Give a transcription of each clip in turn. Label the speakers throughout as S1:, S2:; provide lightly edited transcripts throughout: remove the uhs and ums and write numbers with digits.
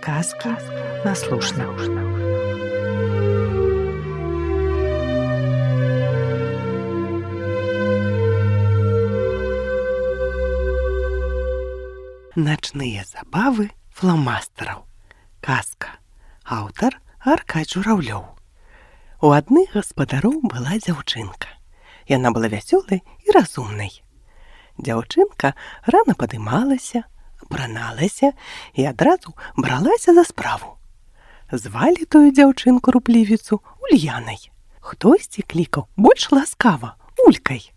S1: Казки наслушна. Начныя забавы фламастараў. Казка. Аўтар Аркадзь Журавлёў. У адных гаспадароў была дзяўчынка. Яна была вясёлай і разумнай. Дзяўчынка рана падымалася, апраналася і адразу бралася за справу. Звалі тую дзяўчынку руплівіцу Ульянай. Хтосьці клікаў больш ласкава Улькай.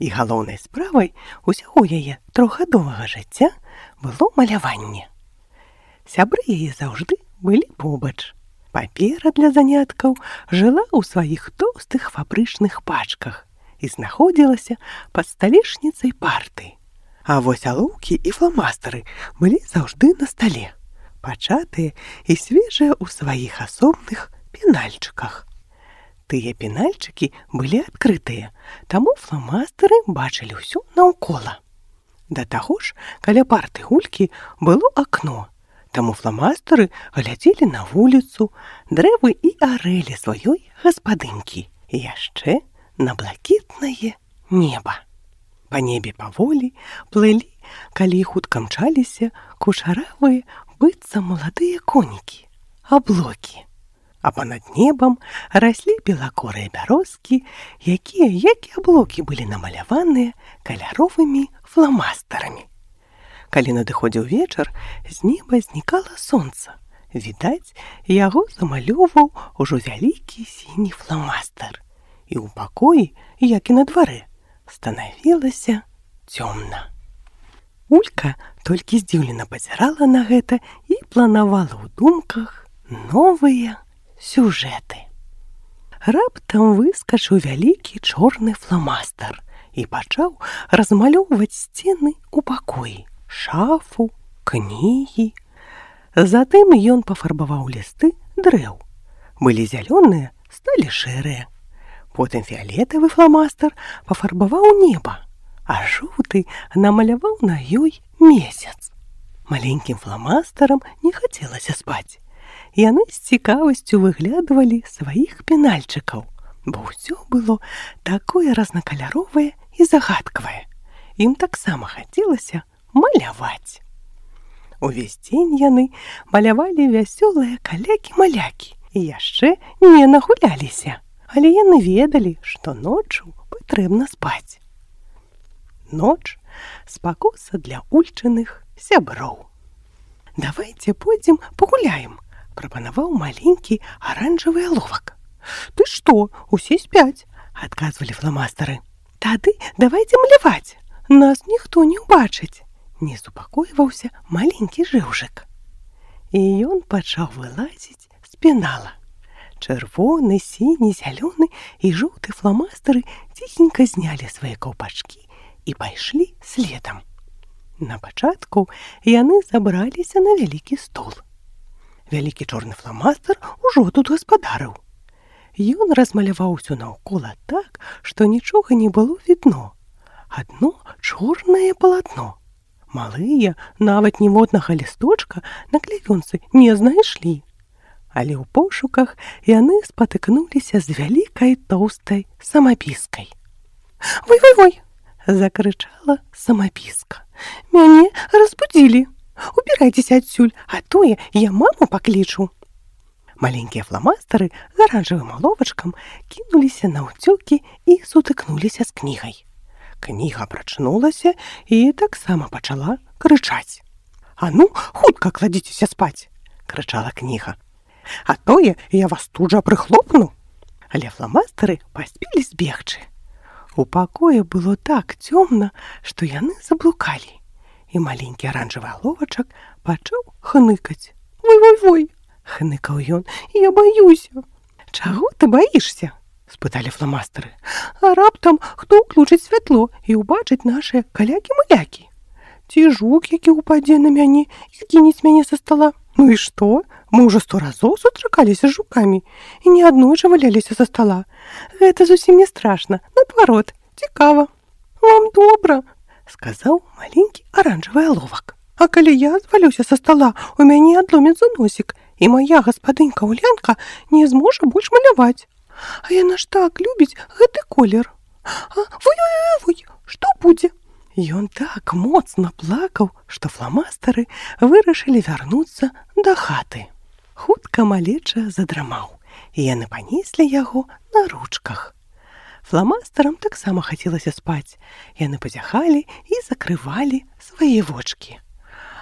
S1: І галоўнай справай усяго яе трохгадовага жыцця было маляванне. Сябры яе заўжды былі побач. Папера для заняткаў жыла ў сваіх тоўстых фабрычных пачках і знаходзілася пад сталешніцай парты. А вось алоўкі і фламастары былі заўжды на стале, пачатыя і свежыя ў сваіх асобных пенальчыках. Тыя пенальчыкі былі адкрытыя, таму фламастары бачылі ўсё наўкола. Да таго ж, каля парты Улькі было акно, таму фламастары глядзелі на вуліцу, дрэвы і арэлі сваёй гаспадынькі і яшчэ на блакітнае неба. Па небе паволі плылі, калі хутка мчаліся кушаравыя, быццам маладыя конікі, аблокі. А панад небам раслі белакорыя бярозкі, якія, як і аблокі, былі намаляваныя каляровымі фламастарамі. Калі надыходзіў вечар, з неба знікала сонца. Відаць, яго замалёваў ужо вялікі сіні фламастар. І ў пакоі, як і на дварэ, станавілася цёмна. Улька толькі здзіўлена пазірала на гэта і планавала ў думках новыя сюжэты. Раптам выскачыў вялікі чорны фламастар і пачаў размалёўваць сцены ў пакоі, шафу, кнігі. Затым ён пафарбаваў лісты дрэў. Былі зялёныя, сталі шэрыя. Потым фіялетавы фламастар пафарбаваў неба, а жоўты намаляваў на ёй месяц. Маленькім фламастарам не хацелася спаць. Яны з цікавасцю выглядвалі сваіх пенальчыкаў, бо ўсё было такое разнакаляровае і загадкавае. Ім таксама хацелася маляваць. Увесь дзень яны малявалі вясёлыя калякі-малякі і яшчэ не нагуляліся, але яны ведалі, што ноччу патрэбна спаць. Ноч — спакуса для ульчыных сяброў. «Давайце пойдзем пагуляем», — прапанаваў маленькі аранжавы аловак. «Ты што, усе спяць?» — адказвалі фламастары. «Тады давайце маляваць, нас ніхто не ўбачыць», — не супакойваўся маленькі жыўжык. І ён пачаў вылазіць з пенала. Чырвоны, сіні, зялёны і жоўты фламастары ціхенька знялі свае каўпачкі і пайшлі следам. На пачатку яны забраліся на вялікі стол. Вялікі чорны фламастар ужо тут гаспадарыў. Ён размаляваў усё наўкола так, што нічога не было відно. Адно чорнае палатно. Малыя нават ніводнага лісточка на клеёнцы не знайшлі. Але ў пошуках яны спатыкнуліся з вялікай тоўстай самапіскай. «Вой-вой-вой!» — закрычала самапіска. «Мяне разбудзілі! Убірайцеся адсюль, а тое я маму паклічу!» Маленькія фламастары з аранжавым аловачкам кінуліся наўцёкі і сутыкнуліся з кнігай. Кніга прачнулася і таксама пачала крычаць. «А ну, хутка кладзіцеся спаць!» — крычала кніга. «А тое я вас тут жа прыхлопну!» Але фламастары паспелі збегчы. У пакоі было так цёмна, што яны заблукалі, і маленькі аранжавы аловачак пачаў хныкаць. «Вой-вой-вой!» — хныкаў ён. «Я баюся!» «Чаго ты баішся?» — спыталі фламастары. «А раптам хто ўключыць святло і ўбачыць нашыя калякі-малякі? Ці жук, які ўпадзе на мяне і скінець мяне са стала? Ну і што? Мы ўжо 100 разоў сустракаліся з жукамі і не аднойчы валяліся са стала. Гэта зусім не страшна, наадварот, цікава». «Вам добра», — сказаў маленькі аранжавы аловак. А калі я звалюся са стала, у мяне адломіцца носік, і моя гаспадынька Улянка не зможа больш маляваць. А яна ж так любіць гэты колер. Вой, што будзе? Ён так моцна плакаў, што фламастары вырашылі вярнуцца да хаты. Хутка малеча задрамаў, і яны панеслі яго на ручках. Фламастарам таксама хацелася спаць. Яны пазяхалі і закрывалі свае вочкі.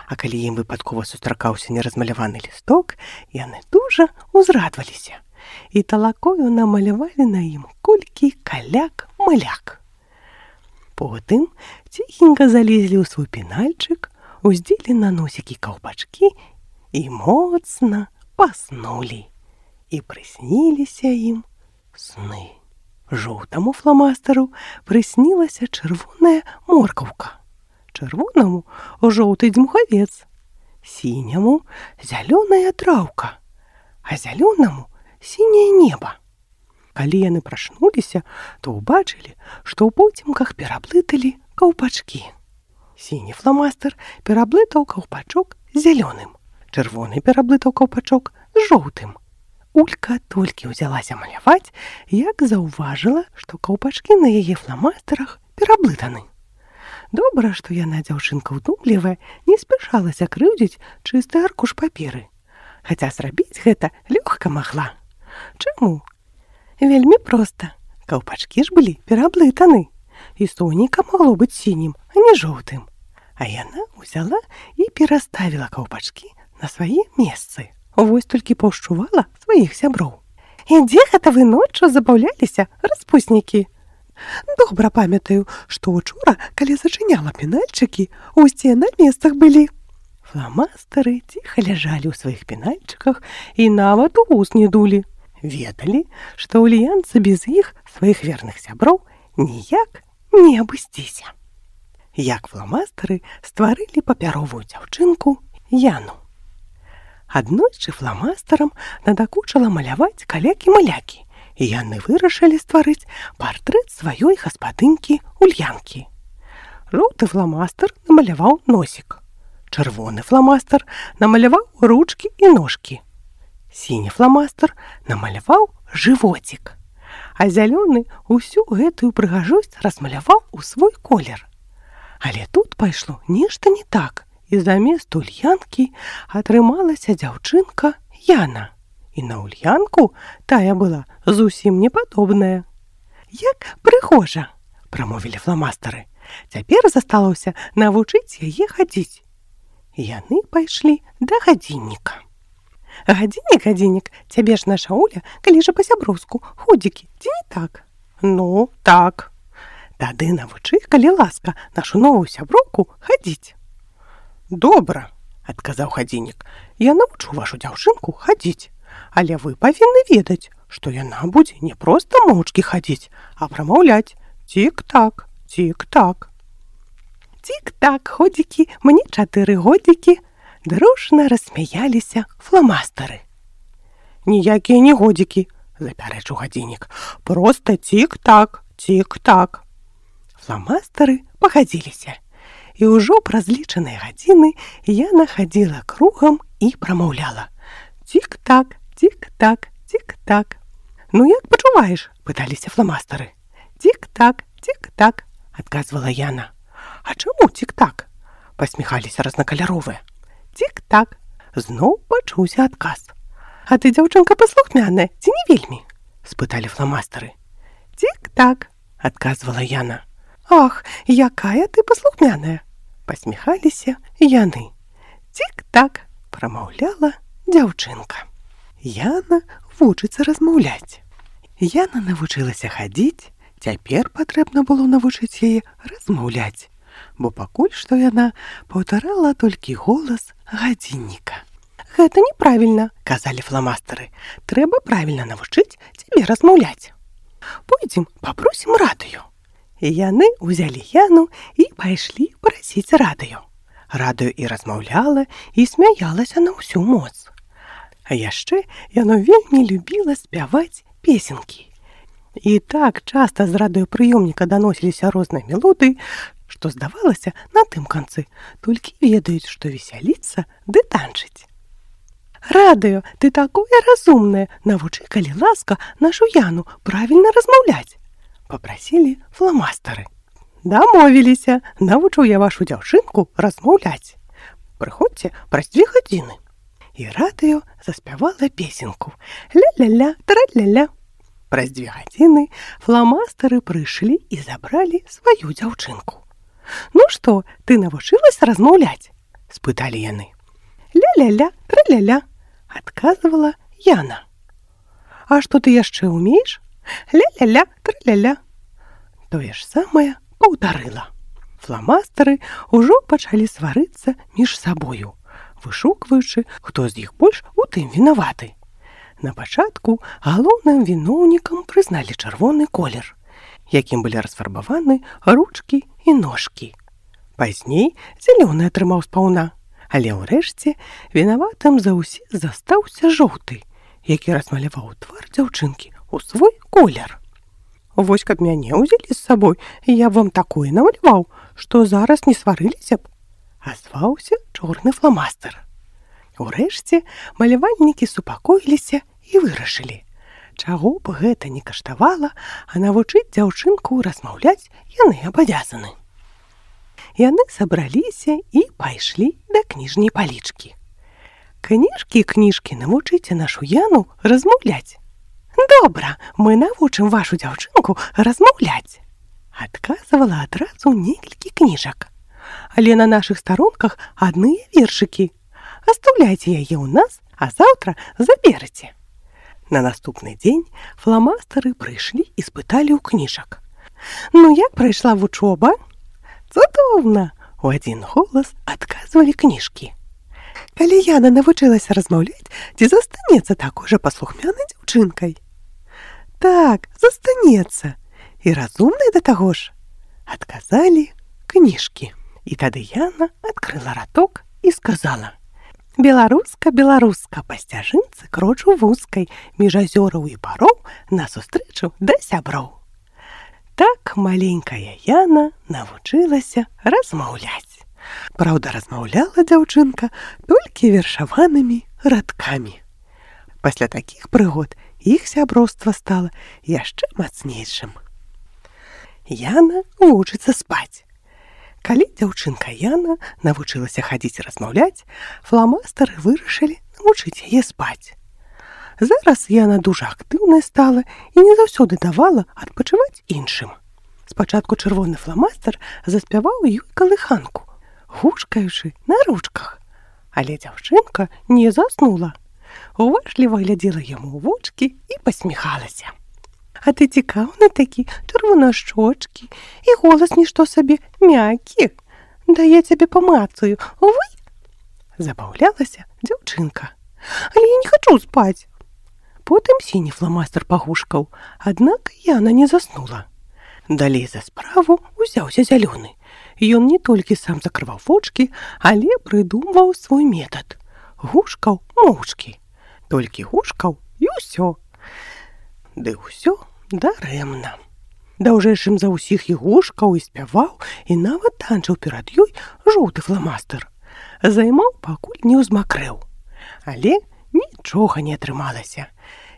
S1: А калі ім выпадкова сустракаўся неразмаляваны лісток, яны дужа ўзрадваліся. І талакою намалявалі на ім колькі каляк-маляк. Потым ціхенька залезлі ў свой пенальчык, уздзелі на носікі каўпачкі і моцна паснулі. І прысніліся ім сны. Жоўтаму фламастару прыснілася чырвоная моркаўка, чырвонаму жоўты дзьмухавец, сіняму зялёная траўка, а зялёнаму сіняе неба. Калі яны прачнуліся, то ўбачылі, што ў поцемках пераблыталі каўпачкі. Сіні фламастар пераблытаў каўпачок з зялёным, чырвоны пераблытаў каўпачок з жоўтым. Улька толькі ўзялася маляваць, як заўважыла, што каўпачкі на яе фламастарах пераблытаны. Добра, што яна, дзяўчынка ўдумлівая, не спяшалася крыўдзіць чысты аркуш паперы. Хаця зрабіць гэта лёгка магла. Чаму? Вельмі проста. Каўпачкі ж былі пераблытаны. І соніка магло быць сінім, а не жоўтым. А яна ўзяла і пераставіла каўпачкі на свае месцы. Вось толькі паўшчувала сваіх сяброў. І дзе гэта вы ноччу забаўляліся, распуснікі? Добра памятаю, што учора, калі зачыняла пенальчыкі, усе на месцах былі. Фламастары ціха ляжалі ў сваіх пенальчыках і нават у вус не дулі. Ведалі, што ульянцы без іх, сваіх верных сяброў, ніяк не абысціся. Як фламастары стварылі папяровую дзяўчынку Яну. Аднойчы фламастарам надакучала маляваць калякі-малякі, і яны вырашылі стварыць партрэт сваёй гаспадынькі Ульянкі. Жоўты фламастар намаляваў носік. Чырвоны фламастар намаляваў ручкі і ножкі. Сіні фламастар намаляваў жывоцік. А зялёны ўсю гэтую прыгажосць размаляваў у свой колер. Але тут пайшло нешта не так. І замест Ульянкі атрымалася дзяўчынка Яна. І на Ульянку тая была зусім непадобная. Як прыгожа, прамовілі фламастары. Цяпер засталося навучыць яе хадзіць. Яны пайшлі да гадзінніка. Гадзіннік, цябе ж наша Уля, калі ж па-сяброўску, ходзікі, ці не так? Ну, так. Тады навучы, калі ласка, нашу новую сяброўку хадзіць. Добра, адказаў гадзіннік, я навучу вашу дзяўчынку хадзіць, але вы павінны ведаць, што яна будзе не проста моўчкі хадзіць, а прамаўляць цік-так, цік-так. Цік-так, ходзікі, мне 4 годзікі, дружна рассмяяліся фламастары. Ніякія не годзікі, запярэчыў гадзіннік, проста цік-так, цік-так. Фламастары пагадзіліся. І ўжо праз лічаныя гадзіны Яна хадзіла кругам і прамаўляла. Цік-так, цік-так, цік-так. Ну, як пачуваеш? Пыталіся фламастары. Цік-так, цік-так, адказвала Яна. А чаму цік-так? Пасміхаліся разнакаляровыя. Цік-так. Зноў пачуўся адказ. А ты, дзяўчынка, паслухмяная, ці не вельмі? Спыталі фламастары. Цік-так, адказвала Яна. Ах, якая ты паслухмяная! Пасміхаліся яны. Цік-так, прамаўляла дзяўчынка. Яна вучыцца размаўляць. Яна навучылася хадзіць, цяпер патрэбна было навучыць яе размаўляць, бо пакуль што яна паўтарала толькі голас гадзінніка. Гэта неправільна, казалі фламастары. Трэба правільна навучыць цябе размаўляць. Пойдзем, папросім радыё. Яны ўзялі Яну і пайшлі прасіць радыё. Радыё і размаўляла, і смяялася на ўсю моц. А яшчэ яно вельмі любіла спяваць песенкі. І так часта з радыёпрыёмніка даносіліся розныя мелодыі, што здавалася, на тым канцы толькі ведаюць, што весяліцца ды танчыць. «Радыё, ты такое разумнае, навучы, калі ласка, нашу Яну правільна размаўляць», — папрасілі фламастары. «Дамовіліся, навучу я вашу дзяўчынку размаўляць. Прыходзьце праз 2 гадзіны». І радыё заспявала песенку «Ля-ля-ля, тра-ля-ля». Праз 2 гадзіны фламастары прыйшлі і забралі сваю дзяўчынку. «Ну што, ты навучылася размаўляць?» – спыталі яны. «Ля-ля-ля, тра-ля-ля», – адказвала Яна. «А што ты яшчэ ўмееш?» «Ля-ля-ля, тра-ля-ля». Тое ж самае паўтарыла. Фламастары ўжо пачалі сварыцца між сабою, вышукваючы, хто з іх больш у тым вінаваты. На пачатку галоўным віноўнікам прызналі чырвоны колер, якім былі расфарбаваны ручкі і ножкі. Пазней зялёны атрымаў спаўна, але ўрэшце вінаватым за ўсе застаўся жоўты, які размаляваў твар дзяўчынкі ў свой колер. «Вось каб мяне ўзялі з сабой, я б вам такое намаляваў, што зараз не сварыліся б», – азваўся чорны фламастар. Урэшце малявальнікі супакоіліся і вырашылі, чаго б гэта не каштавала, а навучыць дзяўчынку размаўляць яны абавязаны. Яны сабраліся і пайшлі да кніжняй палічкі. «Кніжкі, кніжкі, навучыце нашу Яну размаўляць». «Добра, мы навучым вашу дзяўчынку размаўляць», – адказвала адразу некалькі кніжак. «Але на нашых старонках адныя вершыкі. Оставляйте яе ў нас, а заўтра заберыце». На наступны дзень фламастары прыйшлі і спыталі ў кніжак. «Ну, як прайшла вучоба?» «Цудоўна!» – у адзін голас адказвалі кніжкі. «Калі Яна навучылася размаўляць, ці застанецца такой жа паслухмянай дзяўчынкай?» «Так, застанецца. І разумнай да таго ж», – адказалі кніжкі. І тады Яна адкрыла раток і сказала: «Беларуска, беларуска, па сцяжынцы крочу вузкай, між азёраў і бароў насустрэчу да сяброў». Так маленькая Яна навучылася размаўляць. Праўда, размаўляла дзяўчынка толькі вершаванымі радкамі. Пасля такіх прыгод іх сяброўства стала яшчэ мацнейшым. Яна вучыцца спаць. Калі дзяўчынка Яна навучылася хадзіць і размаўляць, фламастары вырашылі навучыць яе спаць. Зараз Яна дужа актыўная стала і не заўсёды давала адпачываць іншым. Спачатку чырвоны фламастар заспяваў ёй калыханку, гушкаючы на ручках. Але дзяўчынка не заснула. Уважліва глядзела яму ў вочкі і пасміхалася. «А ты цікаўны такі, чырвонашчочкі, і голас нішто сабе мяккі. Да я цябе памацаю, вы?» Забаўлялася дзяўчынка. «Але я не хачу спаць». Потым сіні фламастар пагушкаў, аднак Яна не заснула. Далей за справу узяўся зялёны. Ён не толькі сам закрываў вочкі, але прыдумваў свой метад. Гушкаў моўчкі. Толькі гушкаў і ўсё. Ды ўсё дарэмна. Даўжэйшым за ўсіх і гушкаў, і спяваў, і нават танчыў перад ёй жоўты фламастар. Займаў, пакуль не ўзмакрэў. Але нічога не атрымалася.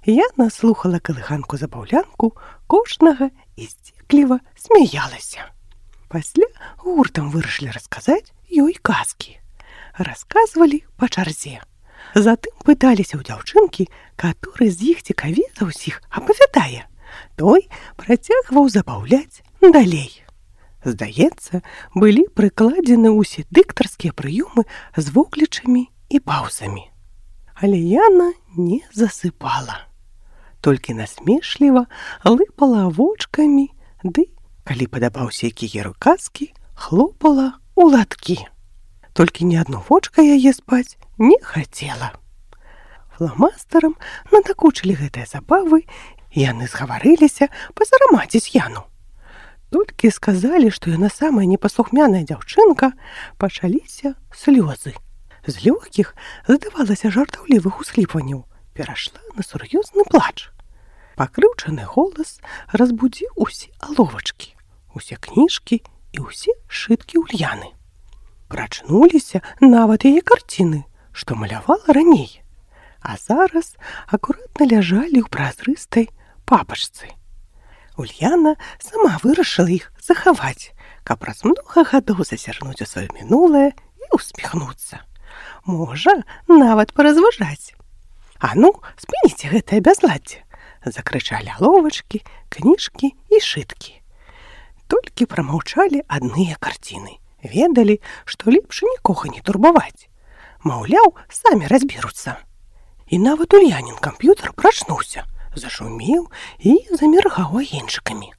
S1: Яна слухала калыханку-забаўлянку кожнага і сцікліва смяялася. Пасля гуртам вырашылі расказаць ёй казкі. Расказвалі па чарзе. Затым пыталіся ў дзяўчынкі, каторы з іх цікавей за ўсіх апавядае. Той працягваў забаўляць далей. Здаецца, былі прыкладзены ўсе дыктарскія прыёмы з воклічамі і паўзамі. Але Яна не засыпала. Толькі насмешліва лыпала вочкамі, ды, калі падабаўся які герой казкі, хлопала ў ладкі. Толькі ні адно вочка яе спаць не хацела. Фламастарам надакучылі гэтыя забавы, і яны згаварыліся пазарамаціць Яну. Толькі сказалі, што яна самая непаслухмяная дзяўчынка, пачаліся слёзы. З лёгкіх, здавалася, жартаўлівых усхліпванняў перайшла на сур'ёзны плач. Пакрыўчаны голас разбудзіў усе аловачкі, усе кніжкі і ўсе сшыткі Ульяны. Прачнуліся нават яе карціны, што малявала раней, а зараз акуратна ляжалі ў празрыстай папачцы. Ульяна сама вырашыла іх захаваць, каб праз многа гадоў зазірнуць у сваё мінулае і усміхнуцца. Можа, нават паразважаць. «А ну, спыніце гэтае бязладдзе!» — закрычалі аловачкі, кніжкі і сшыткі. Толькі прамаўчалі адныя карціны. Ведалі, што лепш нікога не турбаваць. Маўляў, самі разберуцца. І нават Ульянін камп'ютар прачнуўся, зашумеў і заміргаў агеньчыкамі.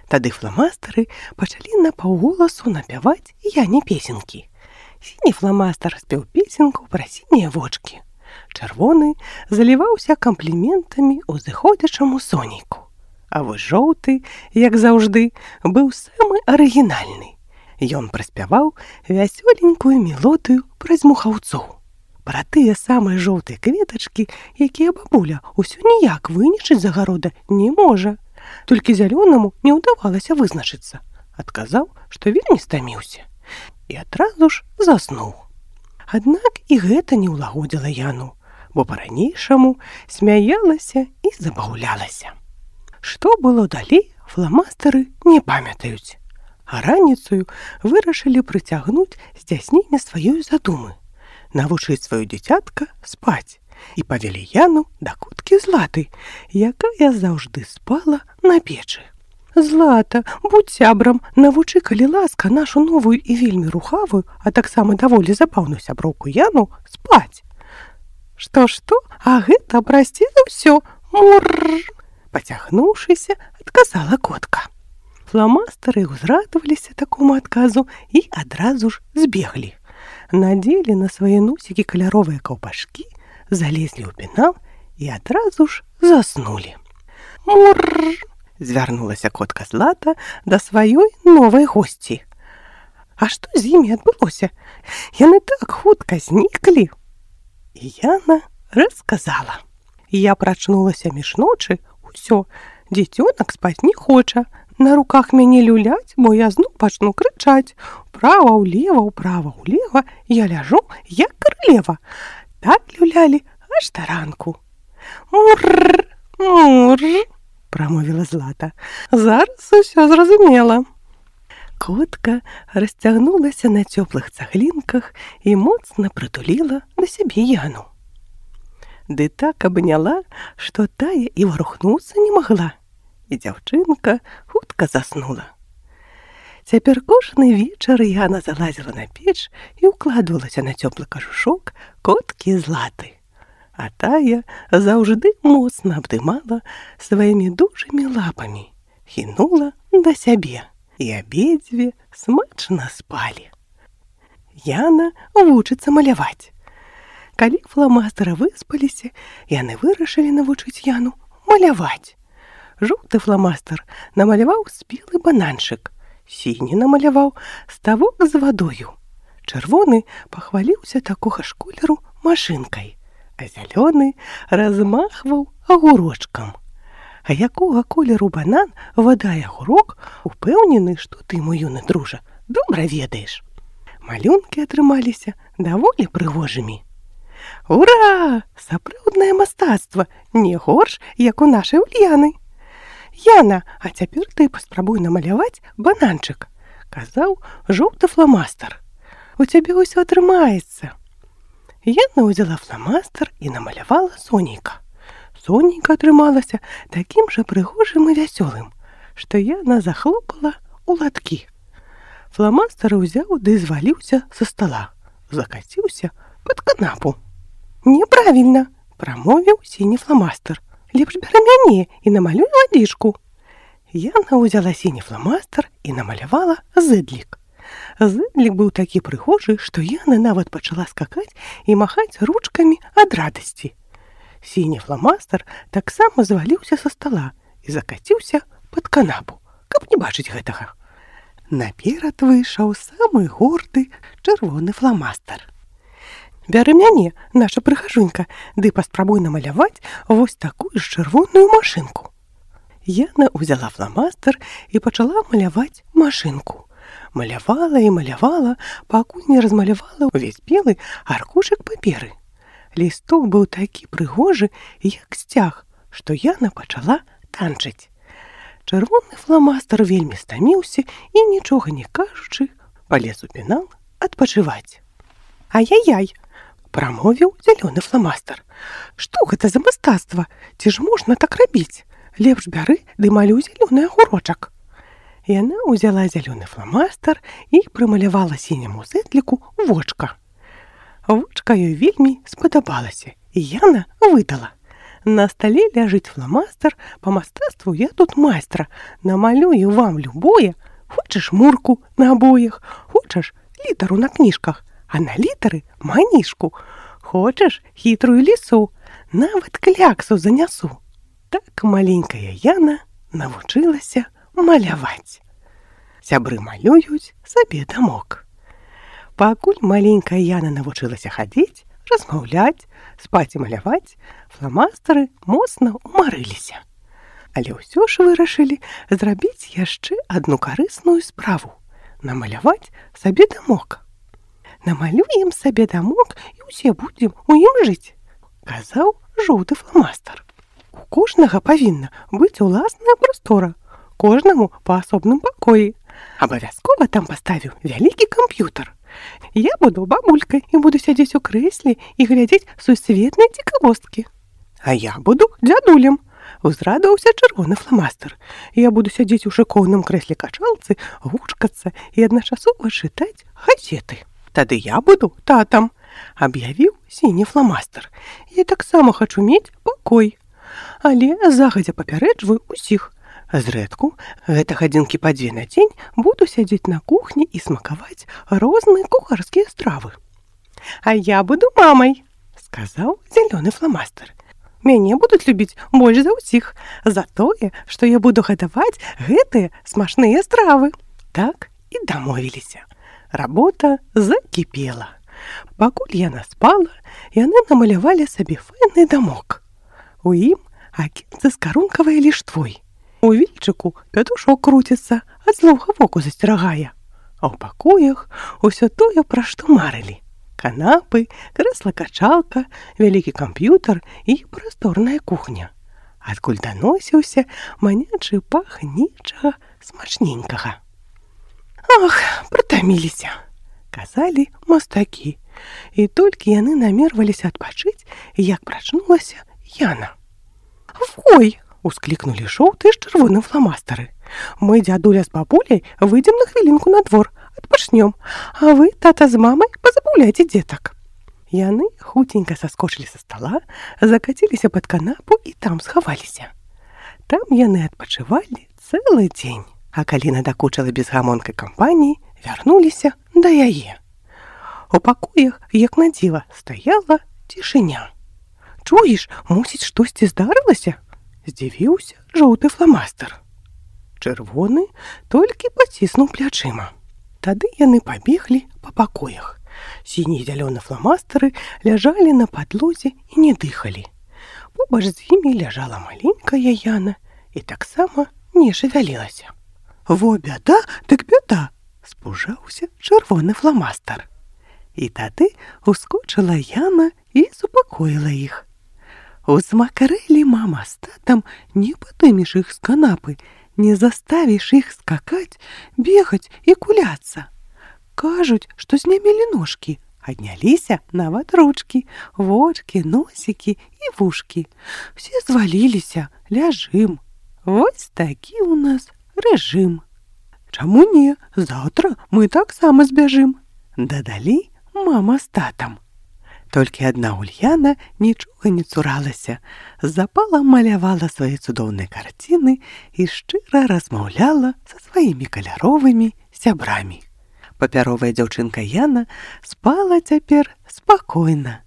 S1: Тады фламастары пачалі напаўголасу напяваць Яне песенькі. Сіні фламастар спеў песенку пра сінія вочкі. Чырвоны заліваўся кампліментамі ўзыходзячаму сонейку. А вось жоўты, як заўжды, быў самы арыгінальны. Ён праспяваў вясёленькую мелодыю пра змухаўцоў. Пра тыя самыя жоўтыя кветачкі, якія бабуля ўсё ніяк вынішчыць з агарода не можа. Толькі зялёнаму не ўдавалася вызначыцца. Адказаў, што вельмі стаміўся. І адразу ж заснуў. Аднак і гэта не ўлагодзіла Яну, бо па-ранейшаму смяялася і забаўлялася. Што было далей, фламастары не памятаюць. А раніцаю вырашылі прыцягнуць здзяйсненне сваёй задумы, навучыць сваё дзіцятка спаць, і павялі Яну да куткі Златы, якая заўжды спала на печы. «Злата, будь сябрам, навучы, калі ласка, нашу новую і вельмі рухавую, а таксама даволі забаўную сяброўку Яну спаць». «Што? А гэта, прасці за ўсё, мурр!» Пацягнуўшыся, адказала котка. Фламастары ўзрадаваліся такому адказу і адразу ж збеглі. Надзелі на свае носікі каляровыя каўпашкі, залезлі ў пенал і адразу ж заснулі. «Мурр!» — звярнулася котка Злата да сваёй новай госці. «А што з імі адбылося? Яны так хутка зніклі!» І Яна расказала. «Я прачнулася між ночы, усё, дзіцёнак спаць не хоча, на руках мяне люляць, бо я зноў пачну крычаць. Ўправа-ўлева, я ляжу, як каралева. Так люлялі аж да ранку». «Мурр, мурр!» — прамовіла Злата. «Зараз усё зразумела». Котка расцягнулася на цёплых цаглінках і моцна прытуліла да сябе Яну. Ды так абняла, што тая і варухнуцца не магла, і дзяўчынка хутка заснула. Цяпер кожны вечар Яна залазіла на печ і ўкладвалася на цёплы кажушок коткі Златы. А тая заўжды моцна абдымала сваімі дужымі лапамі, хінула да сябе, і абедзве смачна спалі. Яна вучыцца маляваць. Калі фламастары выспаліся, яны вырашылі навучыць Яну маляваць. Жоўты фламастар намаляваў спелы бананчык, сіні намаляваў ставок з вадою. Чырвоны пахваліўся такога ж колеру машынкай, а зялёны размахваў агурочкам. А якога колеру банан, вада і агурок, упэўнены, што ты, мой юны дружа, добра ведаеш. Малюнкі атрымаліся даволі прыгожымі. «Ура! Сапраўднае мастацтва, не горш, як у нашай Ульяны!» «Яна, а цяпер ты паспрабуй намаляваць бананчык», — казаў жоўты фламастар. «У цябе ўсё атрымаецца». Яна ўзяла фламастар і намалявала сонейка. Сонейка атрымалася такім жа прыгожым і вясёлым, што Яна захлопала ў ладкі. Фламастар узяў ды зваліўся са стала, закаціўся пад канапу. «Неправільна!» — прамовіў сіні фламастар. «Лепш бяры мяне і намалюй вадзічку». Яна ўзяла сіні фламастар і намалявала зэдлік. Зэдлік быў такі прыгожы, што Яна нават пачала скакаць і махаць ручкамі ад радасці. Сіні фламастар таксама зваліўся са стала і закаціўся пад канапу, каб не бачыць гэтага. Наперад выйшаў самы горды чырвоны фламастар. Бяры мяне, наша прыгажунька, ды паспрабуй намаляваць вось такую ж чырвоную машынку. Яна ўзяла фламастар і пачала маляваць машынку. Малявала і малявала, пакуль не размалявала ўвесь белы аркушык паперы. Лісток быў такі прыгожы, як сцяг, што Яна пачала танчыць. Чырвоны фламастар вельмі стаміўся і, нічога не кажучы, палез у пенал адпачываць. «Ай-яй-яй!» – прамовіў зялёны фламастар. «Што гэта за мастацтва? Ці ж можна так рабіць? Лепш бяры ды малюй зялёны агурочак». Яна ўзяла зялёны фламастар і прымалявала сіняму зэдліку вочка. Вочка ёй вельмі спадабалася, і Яна выдала. «На стале ляжыць фламастар, па мастацтву я тут майстра. Намалюю вам любое. Хочаш мурку на абоях, хочаш літару на кніжках, а на літары манішку. Хочаш хітрую лісу, нават кляксу занясу». Так маленькая Яна навучылася маляваць. Сябры малююць сабе дамок. Пакуль маленькая Яна навучылася хадзіць, размаўляць, спаць і маляваць, фламастары моцна ўмарыліся. Але ўсё ж вырашылі зрабіць яшчэ адну карысную справу – намаляваць сабе дамок. «Намалюем сабе дамок і ўсе будзем у ім жыць», – казаў жоўты фламастар. «У кожнага павінна быць уласная прастора, кожнаму па асобным пакоі. Абавязкова там паставіў вялікі камп'ютар. Я буду бабулькай і буду сядзець у крэсле і глядзець сусветныя цікавосткі. А я буду дзядулем», – узрадаваўся чырвоны фламастар. «Я буду сядзець у шыкоўным крэсле-качалцы, гучкацца і адначасова чытаць газеты. Тады я буду татам», – аб'явіў сіні фламастар. «Я таксама хачу мець пакой. Але загадзя папярэджваю ўсіх. Зрэдку, гэта гадзінкі па 2 на дзень, буду сядзець на кухні і смакаваць розныя кухарскія стравы». «А я буду мамай», – сказаў зялёны фламастар. «Мяне будуць любіць больш за ўсіх за тое, што я буду гатаваць гэтыя смачныя стравы». Так і дамовіліся. Работа закіпела. Пакуль Яна спала, яны намалявалі сабе файны дамок. У ім акенцы з карункавай ліштвой. У вільчыку пятушок круціцца, ад злога воку засцерагае. А ў пакоях усё тое, пра што марылі. Канапы, крэсла-качалка, вялікі камп'ютар і прасторная кухня. Адкуль даносіўся манячы пах нечага смачненькага. «Ах, прытаміліся», – казалі мастакі. І толькі яны намерваліся адпачыць, як прачнулася Яна. «Ой!» – усклікнулі жоўтыя з чырвоным фламастары. «Мы, дзядуля з бабуляй, выйдзем на хвілінку на двор, адпачнём, а вы, тата з мамай, пазабаўляйце дзетак». Яны хуценька саскочылі са стала, закаціліся пад канапу і там схаваліся. Там яны адпачывалі цэлы дзень, а калі надакучала безгамонкай кампаніі, вярнуліся да яе. У пакоях, як на дзіва, стаяла цішыня. «Чуеш, мусіць, штосьці здарылася?» – здзівіўся жоўты фламастар. Чырвоны толькі паціснуў плячыма. Тады яны пабеглі па пакоях. Сіні і зялёны фламастары ляжалі на падлозе і не дыхалі. Побач з імі ляжала маленькая Яна і таксама не шавялілася. «Во бяда, дык бяда!» – спужаўся чырвоны фламастар. І тады ускочыла Яна і супакоіла іх. «Узмакарэлі мама з татам, не падымеш іх з канапы, не заставіш іх скакаць, бегаць і куляцца. Кажуць, што знямелі ножкі, адняліся нават ручкі, вочкі, носікі і вушкі. Все зваліліся, ляжым. Вось такі ў нас рэжым. Чаму не? Заўтра мы таксама збяжым», – дадалі мама з татам. Толькі адна Ульяна нічога не цуралася, запала малявала свае цудоўныя карціны і шчыра размаўляла са сваімі каляровымі сябрамі. Папяровая дзяўчынка Яна спала цяпер спакойна,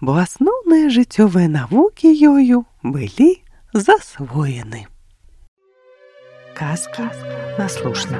S1: бо асноўныя жыццёвыя навукі ёю былі засвоены.
S2: Казки на слушна.